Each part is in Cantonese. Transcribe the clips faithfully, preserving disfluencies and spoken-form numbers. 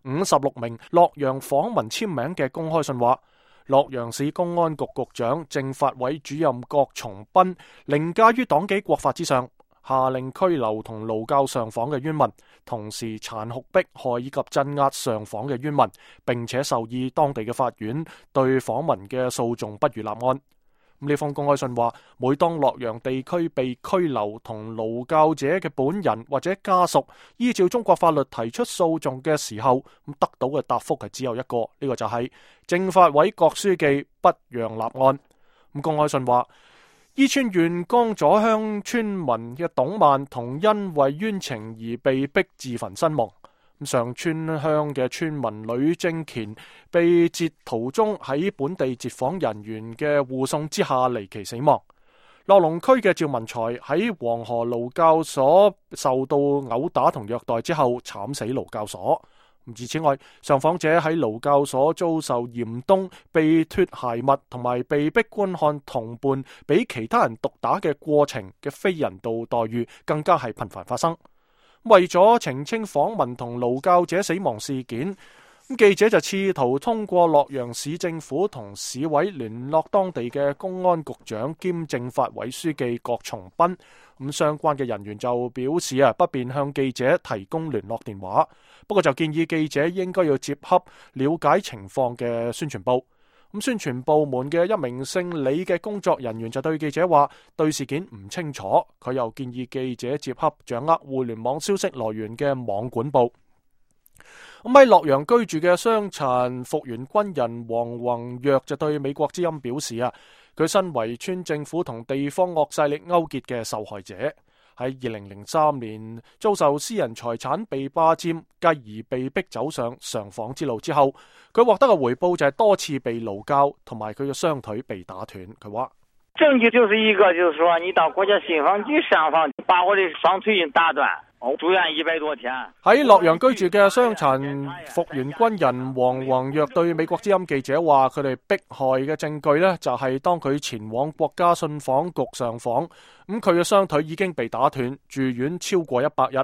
五十六名洛陽訪民簽名嘅公開信話，洛陽市公安局局長、政法委主任郭松斌凌駕於黨紀國法之上，下令拘留同勞教上訪嘅冤民，同時殘酷迫害以及鎮壓上訪嘅冤民，並且授意當地嘅法院對訪民嘅訴訟不予立案。呢封公開信話，每當洛陽地區被拘留同勞教者嘅本人或者家屬依照中國法律提出訴訟嘅時候，咁得到嘅答覆係只有一個，呢、這個就係政法委郭書記不讓立案。咁公開信話，伊川縣江左鄉村民嘅董曼同因為冤情而被逼自焚身亡。上村鄉嘅村民呂正乾被截途中喺本地截訪人員嘅護送之下離奇死亡。樂龍區嘅趙文才喺黃河勞教所受到毆打同虐待之後慘死勞教所。而此外，上訪者喺勞教所遭受嚴冬、被脫鞋襪同埋被逼觀看同伴俾其他人毒打嘅過程嘅非人道待遇，更加係頻繁發生。為咗澄清訪民同勞教者死亡事件，記者就試圖通過洛陽市政府同市委聯絡當地嘅公安局長兼政法委書記郭松斌。咁相關嘅人員就表示啊，不便向記者提供聯絡電話，不過就建議記者應該要接洽了解情況嘅宣傳部。咁宣傳部門嘅一名姓李嘅工作人員就對記者話，對事件唔清楚，佢又建議記者接洽掌握互聯網消息來源嘅網管部。咁喺洛陽居住嘅傷殘復員軍人黃宏躍就對美國之音表示啊，佢身為村政府同地方惡勢力勾結嘅受害者，喺二零零三年遭受私人財產被霸佔，繼而被逼走上上訪之路之後，佢獲得嘅回報就係多次被勞教，同埋佢嘅雙腿被打斷。佢話證據就是一個，就是說你到國家信訪局上訪，把我的雙腿打斷，我住院一百多天。喺洛陽居住嘅傷殘復員軍人黃宏躍對美國之音記者話，佢哋迫害嘅證據呢，就係當佢前往國家信訪局上訪，咁佢嘅雙腿已經被打斷，住院超過一百日。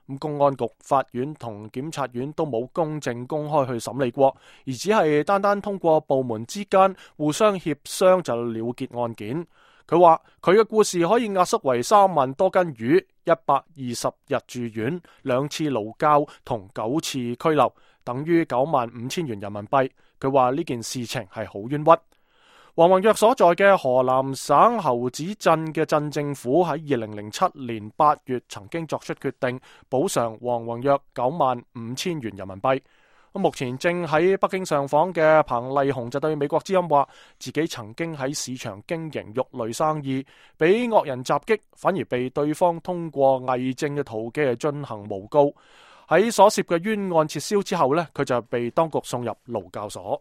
咁公安局、法院同檢察院都冇公正公開去審理過，而只係單單通過部門之間互相協商就了結案件。佢話佢嘅故事可以壓縮為三萬多斤魚、一百二十日住院、兩次勞教同九次拘留，等於九萬五千元人民幣。佢話呢件事情係好冤屈。黃宏躍所在嘅河南省侯子鎮嘅鎮政府喺二零零七年八月曾經作出決定，補償黃宏躍九萬五千元人民幣。目前正喺北京上訪嘅彭麗紅就對美國之音話，自己曾經喺市場經營肉類生意，俾惡人襲擊，反而被對方通過偽證嘅途徑嚟進行誣告。喺所涉嘅冤案撤銷之後呢，佢就被當局送入勞教所。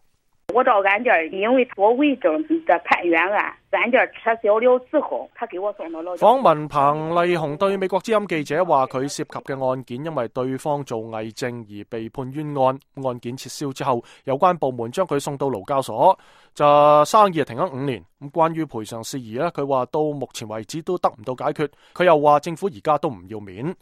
我到案件，因為我偽證的判冤案，案件撤銷了之後，他給我送到勞教所。訪問彭麗紅對美國之音記者話，佢涉及嘅案件因為對方做偽證而被判冤案，案件撤銷之後，有關部門將佢送到勞教所，就生意停咗五年。咁關於賠償事宜咧，佢話到目前為止都得唔到解決。佢又話政府而家都唔要面。